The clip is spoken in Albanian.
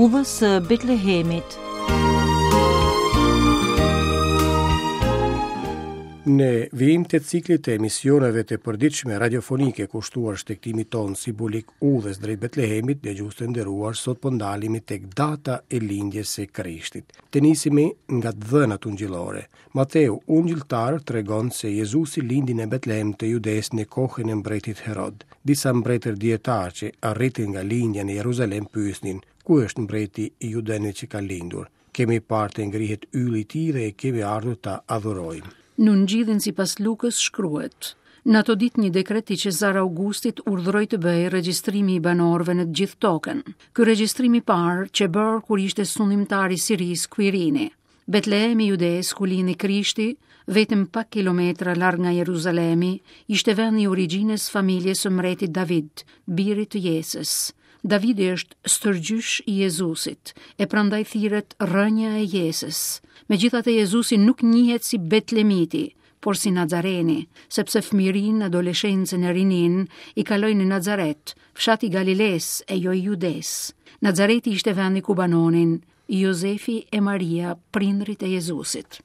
Udhës së Betlehemit. Në vijim të ciklit të emisioneve të përditshme radiofonike kushtuar shtegtimit tonë simbolik udhës drejt Betlehemit, dëgjues të nderuar, sot po ndalemi tek data e lindjes së Krishtit. Të nisemi nga të dhënat ungjillore. Mateu, ungjilltar, tregon se Jezusi lindi në Betlehem të Judesë në kohën e mbretit Herod. Disa mbretër dijetarë që arritën nga lindja në Jeruzalem pyesnin, ku është mbreti i judenjve që ka lindur? Kemi parë të ngrihet ylli i tij dhe kemi ardhur ta adhurojmë. Në Ungjillin sipas Lukës shkruhet, Në ato ditë një dekret i Qezar Augustit urdhëroi të bëhej regjistrimi i banorëve në të gjithë tokën. Ky regjistrim i parë qe bërë kur ishte sundimtar i Sirisë Kuirini. Betlehemi i Judesë, ku lindi Krishti, vetëm pak kilometra larg nga Jeruzalemi, ishte vendi i origjinës familjes së mbretit David, birit të Jesës. Davidi është stërgjysh i Jezusit, e prandaj thirret rrënja e Jesës. Megjithatë Jezusi nuk njihet si Betlemiti, por si Nazareni, sepse fëmijërinë, adoleshencën e rininë i kaloi në Nazaret, fshat i Galilesë e jo i Judesë. Nazareti ishte vendi ku banonin Jozefi e Maria, prindërit e Jezusit.